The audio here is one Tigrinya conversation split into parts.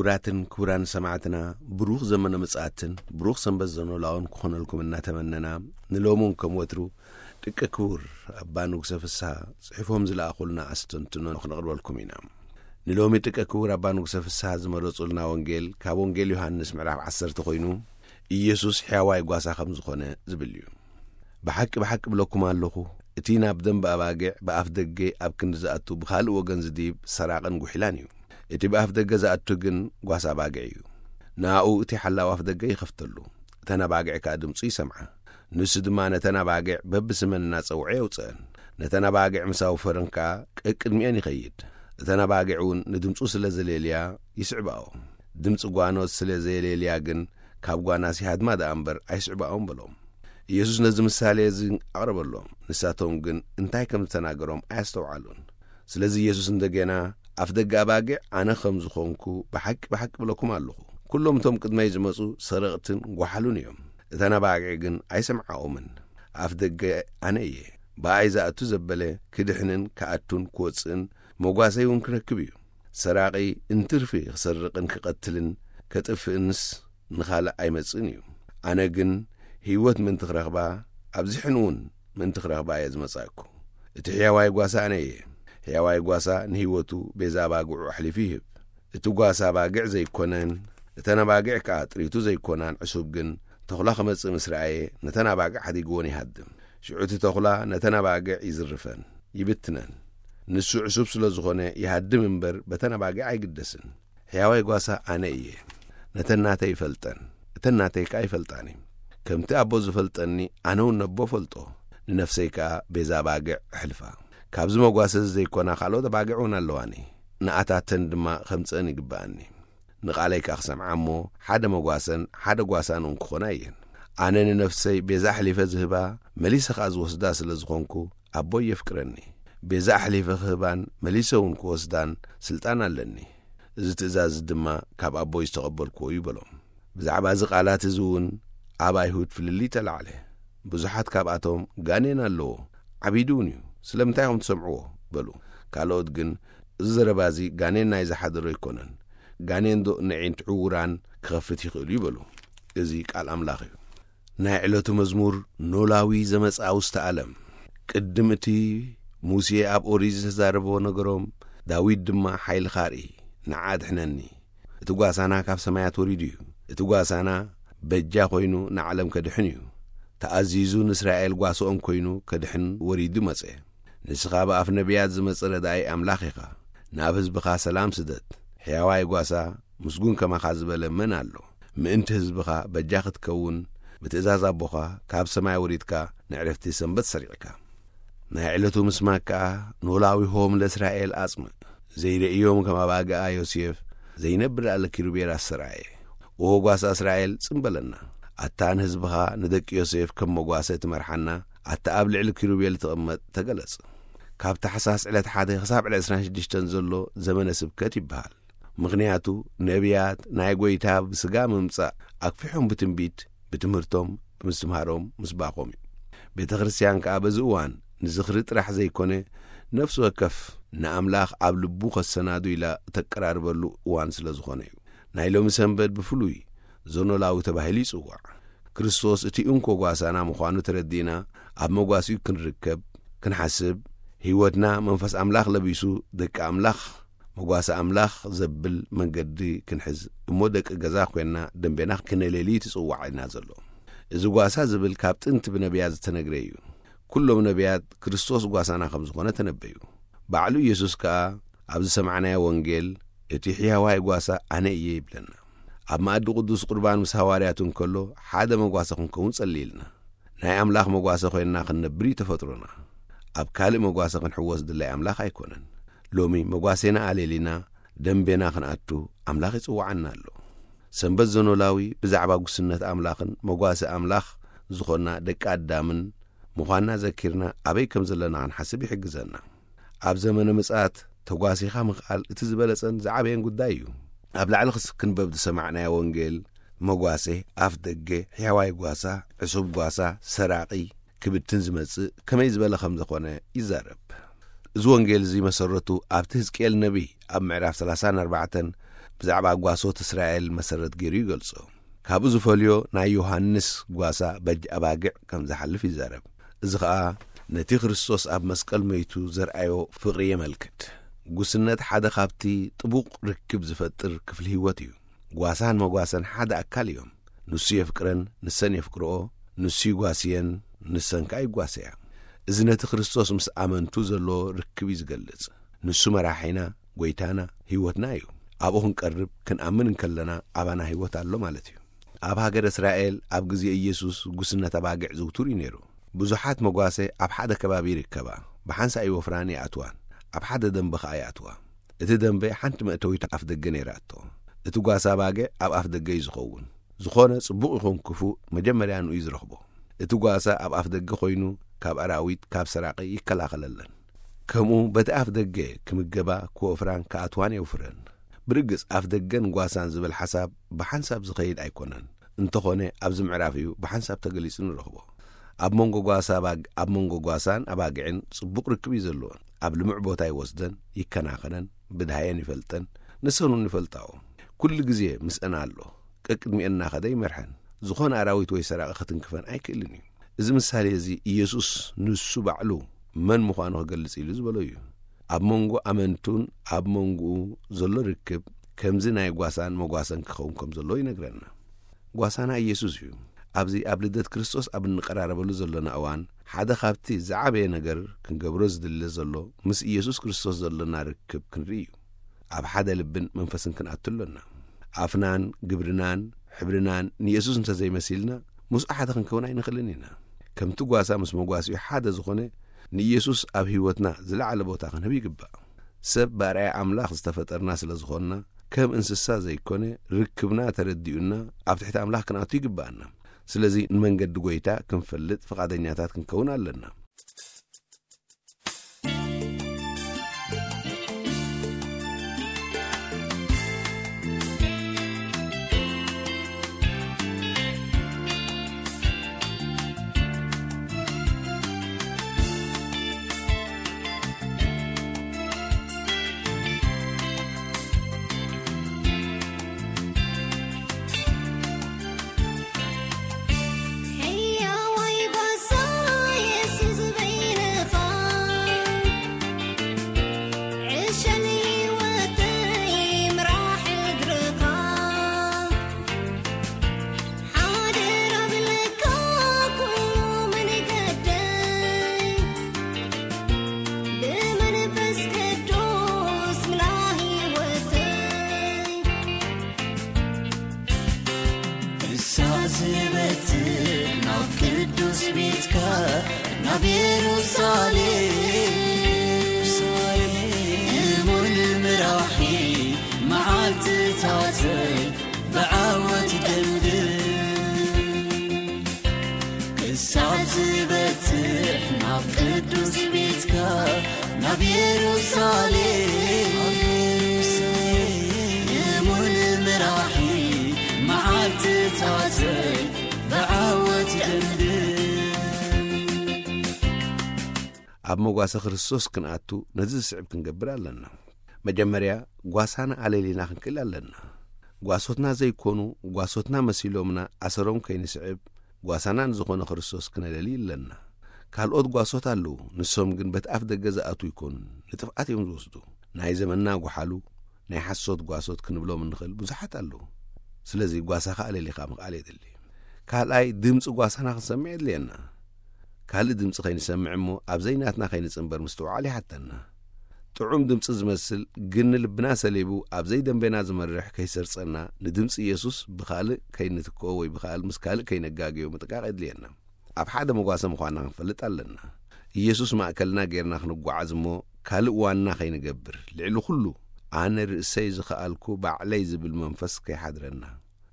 ክቡራትን ክቡራን ሰማዕትና፣ ብሩኽ ዘመነ ምጽኣትን ብሩኽ ሰንበት ዘኖላውን ክኾነልኩም እናተመነና፣ ንሎሚ እውን ከም ወትሩ ደቂ ክቡር ኣባ ንጉሰ ፍስሃ ጽሒፎም ዝለኣኹልና ኣስተንትኖ ክነቕርበልኩም ኢና። ንሎሚ ደቂ ክቡር ኣባ ንጉሰ ፍስሃ ዝመረጹልና ወንጌል ካብ ወንጌል ዮሃንስ ምዕራፍ ዓሰርተ ኮይኑ፣ ኢየሱስ ሕያዋይ ጓሳ ከም ዝኾነ ዝብል እዩ። ብሓቂ ብሓቂ ብለኩም ኣለኹ፣ እቲ ናብ ደንበ ኣባጊዕ ብኣፍ ደገ ኣብ ክንዲ ዝኣቱ ብኻልእ ወገን ዝድይብ ሰራቕን ጉሒላን እዩ። እቲ ብኣፍ ደገ ዝኣቱ ግን ጓሳ ኣባጊዕ እዩ። ንኣኡ እቲ ሓላው ኣፍ ደገ ይኸፍተሉ፣ እተን ኣባጊዕ ከኣ ድምጹ ይሰምዓ። ንሱ ድማ ነተን ኣባጊዕ በብስመን እናጸውዐ የውጽአን። ነተን ኣባጊዕ ምስ ኣውፈረን ከኣ ቀቅድሚአን ይኸይድ። እተን ኣባጊዕ እውን ንድምጹ ስለ ዘሌልያ ይስዕባኦ። ድምጺ ጓኖት ስለ ዘየሌልያ ግን ካብ ጓናስ ይሃድማ ደኣ እምበር ኣይስዕባኦን በሎም። ኢየሱስ ነዚ ምሳሌ እዚ ኣቕረበሎም። ንሳቶም ግን እንታይ ከም ዝተናገሮም ኣያስተውዓሉን። ስለዚ ኢየሱስ እንደገና፣ ኣፍ ደገ ኣባጊዕ ኣነ ከም ዝኾንኩ ብሓቂ ብሓቂ ብለኩም ኣለኹ። ኩሎም እቶም ቅድመይ ዝመጹ ሰረቕትን ጓሓሉን እዮም። እተን ኣባጊዕ ግን ኣይሰምዓኦምን። ኣፍ ደገ ኣነ እየ። ብኣይ ዝኣቱ ዘበለ ክድሕንን ክኣቱን ክወጽእን መጓሰይ እውን ክረክብ እዩ። ሰራቒ እንትርፊ ክሰርቕን ክቐትልን ከጥፍእንስ ንኻልእ ኣይመጽእን እዩ። ኣነ ግን ህይወት ምእንቲ ክረኽባ፣ ኣብዚሐን እውን ምእንቲ ክረኽባ እየ ዝመጻእኩ። እቲ ሕያዋይ ጓሳ ኣነ እየ። ሕያዋይ ጓሳ ንህይወቱ ቤዛ ኣባግዑ ኣሕሊፉ ይህብ። እቲ ጓሳ ኣባግዕ ዘይኮነን፣ እተን ኣባግዕ ከኣ ጥሪቱ ዘይኮናን ዕሱብ ግን፣ ተኹላ ክመጽእ ምስ ረኣየ፣ ነተን ኣባግዕ ሓዲግወን ይሃድም። ሽዑ እቲ ተኹላ ነተን ኣባግዕ ይዝርፈን፣ ይብትነን። ንሱ ዕሱብ ስለ ዝኾነ ይሃድም እምበር፣ በተን ኣባግዕ ኣይግደስን። ሕያዋይ ጓሳ ኣነ እየ። ነተን ናተይ ይፈልጠን፣ እተን ናተይ ከኣ ይፈልጣኒ። ከምቲ ኣቦ ዝፈልጠኒ፣ ኣነ እውን ነቦ እፈልጦ። ንነፍሰይ ከኣ ቤዛ ኣባግዕ እሕልፋ። ካብዚ መጓሰ እዚ ዘይኮና ካልኦት ኣባግዕ እውን ኣለዋኒ። ንኣታተን ድማ ከምጽአን ይግብኣኒ። ንቓለይ ከኣ ክሰምዓ እሞ፣ ሓደ መጓሰን ሓደ ጓሳን እውን ክኾና እየን። ኣነ ንነፍሰይ ቤዛ ኣሕሊፈ ዝህባ፣ መሊሰ ከኣ ዝወስዳ ስለ ዝኾንኩ፣ ኣቦይ የፍቅረኒ። ቤዛ ኣሕሊፈ ክህባን መሊሰ እውን ክወስዳን ስልጣን ኣለኒ። እዚ ትእዛዝ ድማ ካብ ኣቦይ ዝተቐበልክዎ እዩ በሎም። ብዛዕባ እዚ ቃላት እዚ እውን ኣብ ኣይሁድ ፍልልይ ተላዕለ። ብዙሓት ካብኣቶም፣ "ጋኔን ኣለዎ፣ ዓቢዱ እውን እዩ፣ ስለምንታይ ኢኹም ትሰምዕዎ?" በሉ። ካልኦት ግን፣ "እዚ ዘረባ እዚ ጋኔን ናይ ዝሓደሮ ኣይኮነን፣ ጋኔን ዶ ነዒንት ዕውራን ክኸፍት ይኽእል እዩ?" በሉ። እዚ ቃል ኣምላኽ እዩ። ናይ ዕለቱ መዝሙር ኖላዊ ዘመጽኣ ውስተ ዓለም። ቅድም እቲ ሙሴ ኣብ ኦሪት ዝተዛረቦ ነገሮም፣ ዳዊት ድማ ሓይልኻ ኣርኢ፣ ንዓ ኣድሕነኒ። እቲ ጓሳና ካብ ሰማያት ወሪዱ እዩ። እቲ ጓሳና በጃ ኮይኑ ንዓለም ከድሕን እዩ። ተኣዚዙ ንእስራኤል ጓስኦም ኮይኑ ከድሕን ወሪዱ መጸ። ንስኻ ብኣፍ ነቢያት ዝመጸ ረዳኢ ኣምላኽ ኢኻ። ናብ ህዝብኻ ሰላም ስደድ። ሕያዋይ ጓሳ፣ ምስጉን ከማኻ ዝበለ መን ኣሎ? ምእንቲ ህዝብኻ በጃ ክትከውን፣ ብትእዛዝ ኣቦኻ ካብ ሰማይ ወሪድካ፣ ንዕረፍቲ ሰንበት ሰሪዕካ። ናይ ዕለቱ ምስማክ ከኣ ኖላዊሆም ለእስራኤል ኣጽምእ። ዘይርእዮም ከም ኣባግኣ ዮሴፍ፣ ዘይነብር ኣለ ኪሩቤል ኣስተርኣየ። ኦ ጓሳ እስራኤል፣ ጽም በለና። ኣታ ንህዝብኻ ንደቂ ዮሴፍ ከም መጓሰ ትመርሓና፣ ኣታ ኣብ ልዕሊ ኪሩቤል ትቕመጥ፣ ተገለጽ። ካብ ታሕሳስ ዕለት ሓደ ክሳብ ዕለት ዕስራን ሽዱሽተን ዘሎ ዘመነ ስብከት ይበሃል። ምኽንያቱ ነቢያት ናይ ጐይታ ብስጋ ምምጻእ ኣክፊሖም ብትንቢት፣ ብትምህርቶም፣ ብምስትምሃሮም ምስባኾም እዩ። ቤተ ክርስቲያን ከኣ በዚ እዋን ንዝኽሪ ጥራሕ ዘይኮነ፣ ነፍሲ ወከፍ ንኣምላኽ ኣብ ልቡ ከሰናዱ ኢላ እተቀራርበሉ እዋን ስለ ዝኾነ እዩ። ናይ ሎሚ ሰንበት ብፍሉይ ዘኖላዊ ተባሂሉ ይጽዋዕ። ክርስቶስ እቲ እንኮ ጓሳና ምዃኑ ተረዲእና፣ ኣብ መጓሲኡ ክንርከብ፣ ክንሓስብ፣ ህይወትና መንፈስ ኣምላኽ ለቢሱ፣ ደቂ ኣምላኽ፣ መጓሰ ኣምላኽ ዘብል መንገዲ ክንሕዝ እሞ፣ ደቂ ገዛ ኮይንና ደንቤና ክነሌሊ ትጽዋዕ ኢና ዘሎ። እዚ ጓሳ ዝብል ካብ ጥንቲ ብነቢያት ዝተነግረ እዩ። ኩሎም ነቢያት ክርስቶስ ጓሳና ከም ዝኾነ ተነበዩ። ባዕሉ ኢየሱስ ከኣ ኣብ ዝሰማዕናዮ ወንጌል፣ "እቲ ሕያዋይ ጓሳ ኣነ እየ" ይብለና። ኣብ መኣዲ ቅዱስ ቁርባን ምስ ሃዋርያቱ እንከሎ፣ ሓደ መጓሰ ክንከውን ጸልየልና። ናይ ኣምላኽ መጓሰ ኮይንና ክንነብር እዩ ተፈጥሮና። ኣብ ካልእ መጓሰ ክንሕወስ ድላይ ኣምላኽ ኣይኮነን። ሎሚ መጓሴና ኣሌሊና ደንቤና ክንኣቱ ኣምላኽ ይጽውዓና ኣሎ። ሰንበት ዘኖላዊ ብዛዕባ ጉስነት ኣምላኽን መጓሰ ኣምላኽ ዝኾንና ደቂ ኣዳምን ምዃንና ዘኪርና ኣበይ ከም ዘለና ክንሓስብ ይሕግዘና። ኣብ ዘመነ ምጽኣት ተጓሲኻ ምኽኣል እቲ ዝበለጸን ዝዓበየን ጉዳይ እዩ። ኣብ ላዕሊ ክስ-፣ ክንበብ ዝሰማዕናዮ ወንጌል መጓሴ፣ ኣፍ ደገ፣ ሕያዋይ ጓሳ፣ ዕሱብ ጓሳ፣ ሰራቒ፣ ክብትን ዝመጽእ ከመይ ዝበለ ከም ዝኾነ ይዛረብ። እዚ ወንጌል እዚ መሰረቱ ኣብቲ ህዝቅኤል ነቢይ ኣብ ምዕራፍ ሰላሳን ኣርባዕተን ብዛዕባ ጓሶት እስራኤል መሰረት ገይሩ ይገልጾ። ካብኡ ዝፈልዮ ናይ ዮሃንስ ጓሳ በጅ ኣባግዕ ከም ዝሓልፍ ይዛረብ። እዚ ኸኣ ነቲ ክርስቶስ ኣብ መስቀል መይቱ ዘርኣዮ ፍቕሪ የመልክት። ጉስነት ሓደ ካብቲ ጥቡቕ ርክብ ዝፈጥር ክፍሊ ህይወት እዩ። ጓሳን መጓሰን ሓደ ኣካል እዮም። ንሱ የፍቅረን፣ ንሰን የፍቅርኦ፣ ንሱ ይጓስየን፣ ንሰን ከኣ ይጓሰያ። እዚ ነቲ ክርስቶስ ምስ ኣመንቱ ዘሎ ርክብ እዩ ዝገልጽ። ንሱ መራሒና፣ ጐይታና፣ ህይወትና እዩ። ኣብኡ ክንቀርብ፣ ክንኣምን እንከለና ኣባና ህይወት ኣሎ ማለት እዩ። ኣብ ሃገረ እስራኤል ኣብ ግዜ ኢየሱስ ጉስነት ኣባጊዕ ዝውቱር እዩ ነይሩ። ብዙሓት መጓሰ ኣብ ሓደ ከባቢ ይርከባ። ብሓንሳእ ይወፍራን ይኣትዋን። ኣብ ሓደ ደንበ ኸኣ ይኣትዋ። እቲ ደንበ ሓንቲ መእተዊት ኣፍ ደገ ነይራቶ። እቲ ጓሳ ኣባጊዕ ኣብ ኣፍ ደገ እዩ ዝኸውን። ዝኾነ ጽቡቕ ይኹን ክፉእ መጀመርያ ንኡ እዩ ዝረኽቦ። እቲ ጓሳ ኣብ ኣፍ ደገ ኮይኑ ካብ ኣራዊት፣ ካብ ሰራቒ ይከላኸለለን። ከምኡ በቲ ኣፍ ደገ ክምገባ፣ ክወፍራን ክኣትዋን የውፍረን። ብርግጽ ኣፍ ደገን ጓሳን ዝብል ሓሳብ ብሓንሳብ ዝኸይድ ኣይኮነን። እንተኾነ ኣብዚ ምዕራፍ እዩ ብሓንሳብ ተገሊጹ ንረኽቦ። ኣብ መንጎ ጓሳ ኣባግ-፣ ኣብ መንጎ ጓሳን ኣባግዕን ጽቡቕ ርክብ እዩ ዘለዎ። ኣብ ልሙዕ ቦታ ይወስደን፣ ይከናኸነን፣ ብድሃየን ይፈልጠን፣ ንሰን እውን ይፈልጣኦ። ኩሉ ግዜ ምስአን ኣሎ። ቀቅድሚአን እናኸደ ይመርሐን። ዝኾነ ኣራዊት ወይ ሰራቒ ክትንክፈን ኣይክእልን እዩ። እዚ ምሳሌ እዚ ኢየሱስ ንሱ ባዕሉ መን ምዃኑ ክገልጽ ኢሉ ዝበሎ እዩ። ኣብ መንጎ ኣመንቱን ኣብ መንጎኡ ዘሎ ርክብ ከምዚ ናይ ጓሳን መጓሰን ክኸውን ከም ዘለዎ ይነግረና። ጓሳና ኢየሱስ እዩ። ኣብዚ ኣብ ልደት ክርስቶስ ኣብ እንቀራረበሉ ዘለና እዋን ሓደ ካብቲ ዝዓበየ ነገር ክንገብሮ ዝድለ ዘሎ ምስ ኢየሱስ ክርስቶስ ዘለና ርክብ ክንርኢ እዩ። ኣብ ሓደ ልብን መንፈስን ክንኣቱ ኣሎና። ኣፍናን ግብርናን ሕብርናን ንየሱስ እንተ ዘይመሲልና ምስኡ ሓደ ክንከውን ኣይንኽእልን ኢና። ከምቲ ጓሳ ምስ መጓሲኡ ሓደ ዝኾነ ንኢየሱስ ኣብ ህይወትና ዝለዓለ ቦታ ክንህብ ይግባእ። ሰብ ብኣርኣያ ኣምላኽ ዝተፈጠርና ስለ ዝኾንና ከም እንስሳ ዘይኮነ ርክብና ተረዲኡና ኣብ ትሕቲ ኣምላኽ ክንኣቱ ይግባኣና። ስለዚ ንመንገዲ ጐይታ ክንፈልጥ ፍቓደኛታት ክንከውን ኣለና። ኣብ መጓሰ ክርስቶስ ክንኣቱ ነዚ ዝስዕብ ክንገብር ኣለና። መጀመርያ ጓሳና ኣለሊና ክንክእል ኣለና። ጓሶትና ዘይኮኑ ጓሶትና መሲሎምና ኣሰሮም ከይንስዕብ፣ ጓሳና ንዝኾነ ክርስቶስ ክነለሊ ኣለና። ካልኦት ጓሶት ኣለዉ፣ ንሶም ግን በቲ ኣፍ ደገ ዝኣትዉ ይኮኑን ንጥፍኣት እዮም ዝወስዱ። ናይ ዘመንና ጓሓሉ ናይ ሓሶት ጓሶት ክንብሎም እንኽእል ብዙሓት ኣለዉ። ስለዚ ጓሳኻ ኣለሊኻ ምኽኣል የድሊ። ካልኣይ ድምፂ ጓሳና ክንሰምዕ የድልየና። ካልእ ድምፂ ከይንሰምዕ እሞ ኣብ ዘይናትና ከይንፅንበር ምስትውዓል ይሓተና። ጥዑም ድምፂ ዝመስል ግን ንልብና ሰሊቡ ኣብ ዘይደንበና ዝመርሕ ከይሰርፀና ንድምፂ ኢየሱስ ብኻልእ ከይንትክኦ ወይ ብኻል ምስ ካልእ ከይነጋግዮ ምጥቃቕ የድልየና። ኣብ ሓደ መጓሰ ምዃንና ክንፈልጥ ኣለና። ኢየሱስ ማእከልና ጌርና ክንጓዓዝ እሞ ካልእ ዋና ከይንገብር ልዕሊ ኩሉ ኣነ ርእሰይ ዝኸኣልኩ ባዕለይ ዝብል መንፈስ ከይሓድረና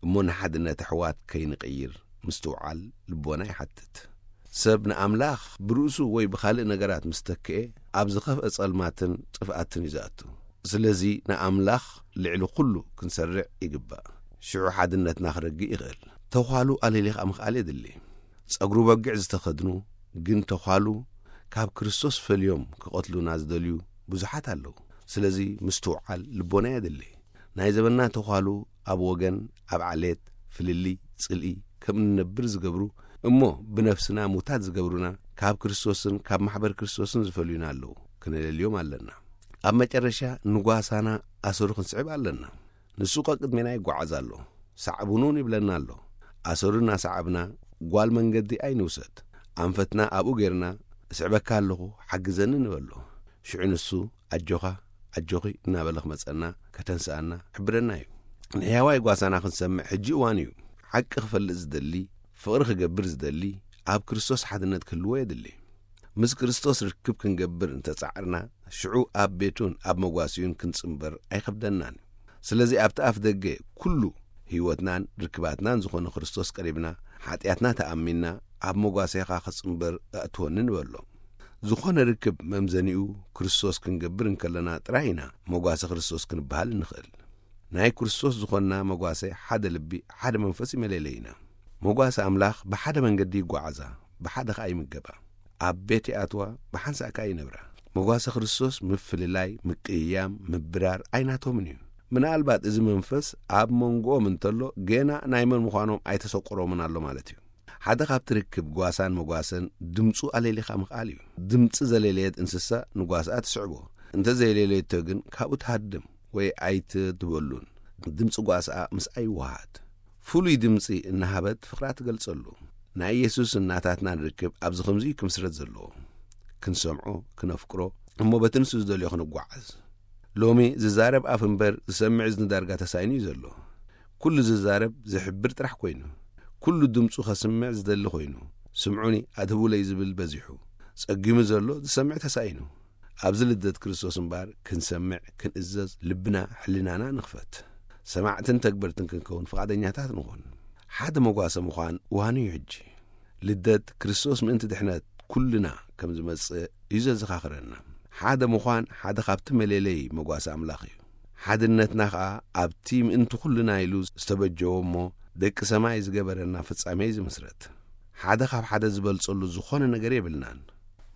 እሞ ንሓድነት ኣሕዋት ከይንቕይር ምስትውዓል ልቦና ይሓትት። ሰብ ንኣምላኽ ብርእሱ ወይ ብኻልእ ነገራት ምስ ተክኤ ኣብ ዝኸፍአ ጸልማትን ጥፍኣትን እዩ ዝኣቱ። ስለዚ ንኣምላኽ ልዕሊ ኩሉ ክንሰርዕ ይግባእ። ሽዑ ሓድነትና ክረግእ ይኽእል። ተዃሉ ኣለሊኻ ምኽኣል የድሊ። ጸጉሪ በጊዕ ዝተኸድኑ ግን ተዃሉ ካብ ክርስቶስ ፈልዮም ክቐትሉና ዝደልዩ ብዙሓት ኣለዉ። ስለዚ ምስትውዓል ልቦና የድሊ። ናይ ዘበና ተዃሉ ኣብ ወገን፣ ኣብ ዓሌት፣ ፍልልይ፣ ጽልኢ ከም እንነብር ዝገብሩ፣ እሞ ብነፍስና ሙታት ዝገብሩና፣ ካብ ክርስቶስን ካብ ማሕበር ክርስቶስን ዝፈልዩና ኣለዉ። ክነለልዮም ኣለና። ኣብ መጨረሻ ንጓሳና ኣሰሩ ክንስዕብ ኣለና። ንሱ ቀቅድሜና ይጓዓዝ ኣሎ። ሳዕቡኑን ይብለና ኣሎ። ኣሰሩ እናሰዓብና ጓል መንገዲ ኣይንውሰድ። ኣንፈትና ኣብኡ ጌርና፣ "እስዕበካ ኣለኹ፣ ሓግዘኒ" ንበሎ። ሽዑ ንሱ "ኣጆኻ፣ ኣጆኺ" እናበለ ክመጸና፣ ከተንስኣና፣ ክሕብረና እዩ። ንሕያዋይ ጓሳና ክንሰምዕ ሕጂ እዋን እዩ። ሓቂ ክፈልጥ ዝደሊ፣ ፍቕሪ ክገብር ዝደሊ፣ ኣብ ክርስቶስ ሓድነት ክህልዎ የድሊ። ምስ ክርስቶስ ርክብ ክንገብር እንተጻዕርና፣ ሽዑ ኣብ ቤቱን ኣብ መጓሲኡን ክንጽንበር ኣይኸብደናን። ስለዚ ኣብቲ ኣፍ ደገ ኩሉ ህይወትናን ርክባትናን ዝኾነ ክርስቶስ ቀሪብና፣ ሓጢኣትና ተኣሚንና፣ "ኣብ መጓሰኻ ክጽንበር ኣእትወኒ" ንበሎ። ዝኾነ ርክብ መምዘኒኡ ክርስቶስ ክንገብር እንከለና ጥራይ ኢና መጓሰ ክርስቶስ ክንበሃል እንኽእል። ናይ ክርስቶስ ዝኾንና መጓሰ ሓደ ልቢ፣ ሓደ መንፈስ እዩ መለለይና። መጓሰ ኣምላኽ ብሓደ መንገዲ ይጓዓዛ፣ ብሓደ ኸኣ ይምገባ። ኣብ ቤት ይኣትዋ፣ ብሓንሳእ ከኣ ይነብራ። መጓሰ ክርስቶስ ምፍልላይ፣ ምቅይያም፣ ምብራር ኣይናቶምን እዩ። ምናልባት እዚ መንፈስ ኣብ መንጎኦም እንተሎ፣ ገና ናይ መን ምዃኖም ኣይተሰቆሮምን ኣሎ ማለት እዩ። ሓደ ካብቲ ርክብ ጓሳን መጓሰን ድምፁ ኣለሊኻ ምኽኣል እዩ። ድምፂ ዘለለየት እንስሳ ንጓስኣ ትስዕቦ። እንተ ዘየለለየቶ ግን ካብኡ ትሃድም ወይ ኣይትበሉን። ድምፂ ጓስኣ ምስኣ ይወሃሃድ። ፍሉይ ድምፂ እናሃበት ፍቕራ ትገልጸሉ። ናይ ኢየሱስን ናታትናን ርክብ ኣብዚ ከምዚ እዩ ክምስረት ዘለዎ። ክንሰምዖ፣ ክነፍቅሮ፣ እሞ በቲ ንሱ ዝደልዮ ክንጓዓዝ። ሎሚ ዝዛረብ ኣፍ እምበር ዝሰምዕ እዝኒ ዳርጋ ተሳኢኑ እዩ ዘሎ። ኩሉ ዝዛረብ ዝሕብር ጥራሕ ኮይኑ፣ ኩሉ ድምፁ ከስምዕ ዝደሊ ኮይኑ፣ "ስምዑኒ፣ ኣድህቡለይ" ዝብል በዚሑ፣ ጸጊሙ ዘሎ ዝሰምዕ ተሳኢኑ። ኣብዚ ልደት ክርስቶስ እምበኣር ክንሰምዕ፣ ክንእዘዝ፣ ልብና፣ ሕልናና ንኽፈት። ሰማዕትን ተግበርትን ክንከውን ፍቓደኛታት ንኹን። ሓደ መጓሰ ምዃን እዋኑ እዩ ሕጂ። ልደት ክርስቶስ ምእንቲ ድሕነት ኩልና ከም ዝመጽእ እዩ ዘዘኻኽረና። ሓደ ምዃን ሓደ ካብቲ መለለዪ መጓሰ ኣምላኽ እዩ። ሓድነትና ኸኣ ኣብቲ ምእንቲ ኩልና ኢሉ ዝተበጀዎ እሞ ደቂ ሰማይ ዝገበረና ፍጻሜ እዩ ዝምስረት። ሓደ ካብ ሓደ ዝበልጸሉ ዝኾነ ነገር የብልናን።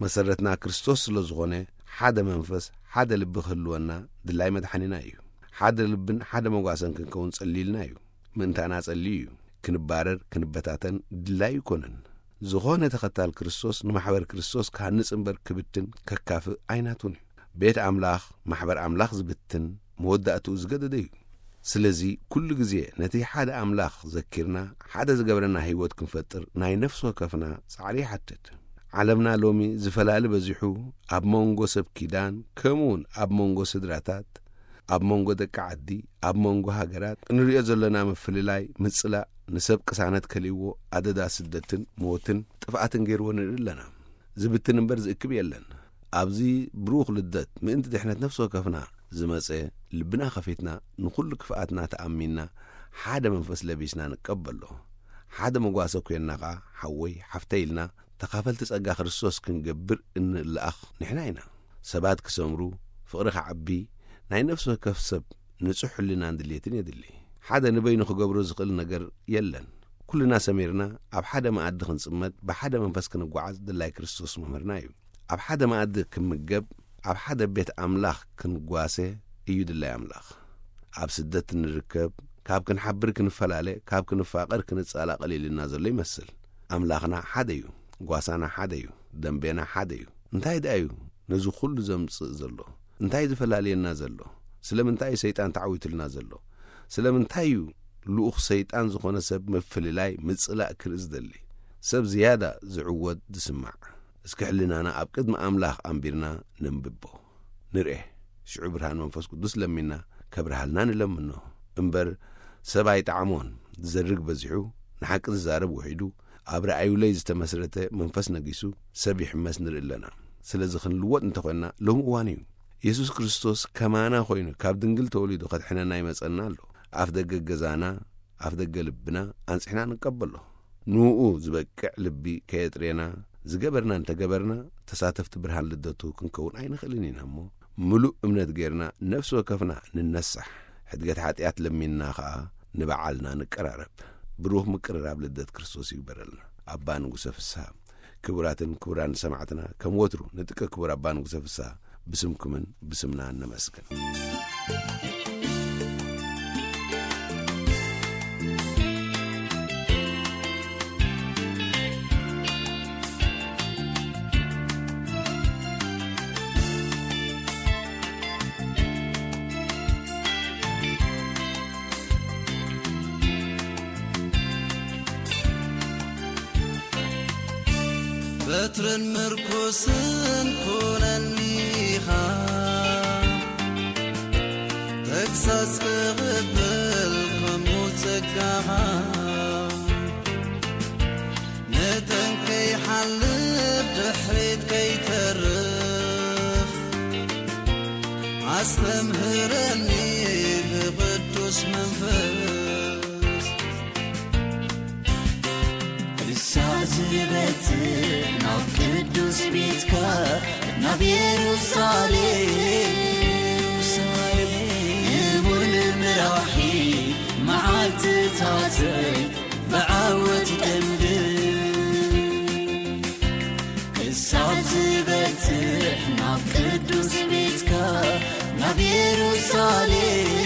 መሰረትና ክርስቶስ ስለ ዝኾነ፣ ሓደ መንፈስ፣ ሓደ ልቢ ክህልወና ድላይ መድሓኒና እዩ። ሓደ ልብን ሓደ መጓሰን ክንከውን ጸሊልና እዩ። ምእንታና ጸልዩ እዩ። ክንባረር፣ ክንበታተን ድላይ ኣይኮነን። ዝኾነ ተኸታል ክርስቶስ ንማሕበር ክርስቶስ ክሃንጽ እምበር ክብትን ከካፍእ ኣይናቱን እዩ። ቤት ኣምላኽ፣ ማሕበር ኣምላኽ ዝብትን መወዳእትኡ ዝገደደ እዩ። ስለዚ ኩሉ ግዜ ነቲ ሓደ ኣምላኽ ዘኪርና፣ ሓደ ዝገብረና ህይወት ክንፈጥር ናይ ነፍሲ ወከፍና ጻዕሪ ይሓትት። ዓለምና ሎሚ ዝፈላሊ በዚሑ፣ ኣብ መንጎ ሰብ ኪዳን፣ ከምኡውን ኣብ መንጎ ስድራታት፣ ኣብ መንጎ ደቂ ዓዲ፣ ኣብ መንጎ ሃገራት እንርእዮ ዘለና ምፍልላይ፣ ምጽላእ፣ ንሰብ ቅሳነት ከሊእዎ ኣደዳ ስደትን ሞትን ጥፍኣትን ገይርዎ ንርኢ ኣለና። ዝብትን እምበር ዝእክብ የለን። ኣብዚ ብሩኽ ልደት ምእንቲ ድሕነት ነፍሲ ወከፍና ዝመጸ፣ ልብና ከፊትና ንኹሉ ክፍኣትና ተኣሚንና ሓደ መንፈስ ለቢስና ንቀበሎ። ሓደ መጓሰ ኮይንና ኸኣ ሓወይ ሓፍተይ ኢልና ተኻፈልቲ ጸጋ ክርስቶስ ክንገብር እንለኣኽ ንሕና ኢና። ሰባት ክሰምሩ፣ ፍቕሪ ክዓቢ፣ ናይ ነፍሲ ወከፍ ሰብ ንጹሕ ሕልናን ድሌትን የድሊ። ሓደ ንበይኑ ክገብሮ ዝኽእል ነገር የለን። ኩልና ሰሚርና ኣብ ሓደ መኣዲ ክንጽመድ፣ ብሓደ መንፈስ ክንጓዓዝ ድላይ ክርስቶስ መምህርና እዩ። ኣብ ሓደ መኣዲ ክምገብ፣ ኣብ ሓደ ቤት ኣምላኽ ክንጓሰ እዩ ድላይ ኣምላኽ። ኣብ ስደት እንርከብ፣ ካብ ክንሓብር ክንፈላለ፣ ካብ ክንፋቐር ክንጻላቐል ኢልና ዘሎ ይመስል። ኣምላኽና ሓደ እዩ፣ ጓሳና ሓደ እዩ፣ ደንቤና ሓደ እዩ። እንታይ ደኣ እዩ ነዚ ኩሉ ዘምጽእ ዘሎ? እንታይ ዝፈላልየና ዘሎ? ስለምንታይ እዩ ሰይጣን ተዓዊቱልና ዘሎ? ስለምንታይ እዩ ልኡኽ ሰይጣን ዝኾነ ሰብ ምፍልላይ፣ ምጽላእ ክርኢ ዝደሊ? ሰብ ዝያዳ ዝዕወት ዝስማዕ። እስኪ ሕልናና ኣብ ቅድሚ ኣምላኽ ኣንቢርና ነንብቦ። ንርኤ። ሽዑ ብርሃን መንፈስ ቅዱስ ለሚና ከብርሃልና ንለምኖ። እምበር ሰብ ኣይጠዓሞን። ዝዘርግ በዚሑ፣ ንሓቂ ዝዛረብ ውሒዱ፣ ኣብ ረኣዩለይ ዝተመስረተ መንፈስ ነጊሱ፣ ሰብ ይሕመስ ንርኢ ኣለና። ስለዚ ክንልወጥ እንተኾይንና ሎሚ እዋን እዩ። የሱስ ክርስቶስ ከማና ኮይኑ ካብ ድንግል ተወሊዱ ከድሕነና ይመጸና ኣሎ። ኣፍ ደገ ገዛና፣ ኣፍ ደገ ልብና ኣንጺሕና ንቀበሎ። ንኡ ዝበቅዕ ልቢ ከየጥሬና፣ ዝገበርና እንተገበርና፣ ተሳተፍቲ ብርሃን ልደቱ ክንከውን ኣይንኽእልን ኢና እሞ፣ ምሉእ እምነት ጌርና ነፍሲ ወከፍና ንነሳሕ። ሕድገት ሓጢኣት ለሚንና ኸኣ ንበዓልና ንቀራረብ። ብሩኽ ምቅርራብ ልደት ክርስቶስ ይግበረልና። ኣባ ንጉሰ ፍስሃ። ክቡራትን ክቡራን ሰማዕትና፣ ከም ወትሩ ንጥቀ ክቡር ኣባ ንጉሰ ፍስሃ ብስምኩምን ብስምና ነመስግን። በትርን ምርኩስን ኩነኒኻ፣ ተግሳጽ ክቕበል ከምኡ ጸጋኻ። መጠን ከይሓልፍ ድሕሪት ከይተርፍ፣ ኣስተምህረኒ ብቕዱስ መንፈስ። ክሳዕ ዝበጽሕ ናብ ቅዱስ ቤትካ፣ ናብ ኢየሩሳሌም፣ ንቡር ንምራኺ መዓልትታተይ ብዓወት ይደምድም። ክሳዕ ዝበጽሕ ናብ ቅዱስ ቤትካ፣ ናብ ኢየሩሳሌም፣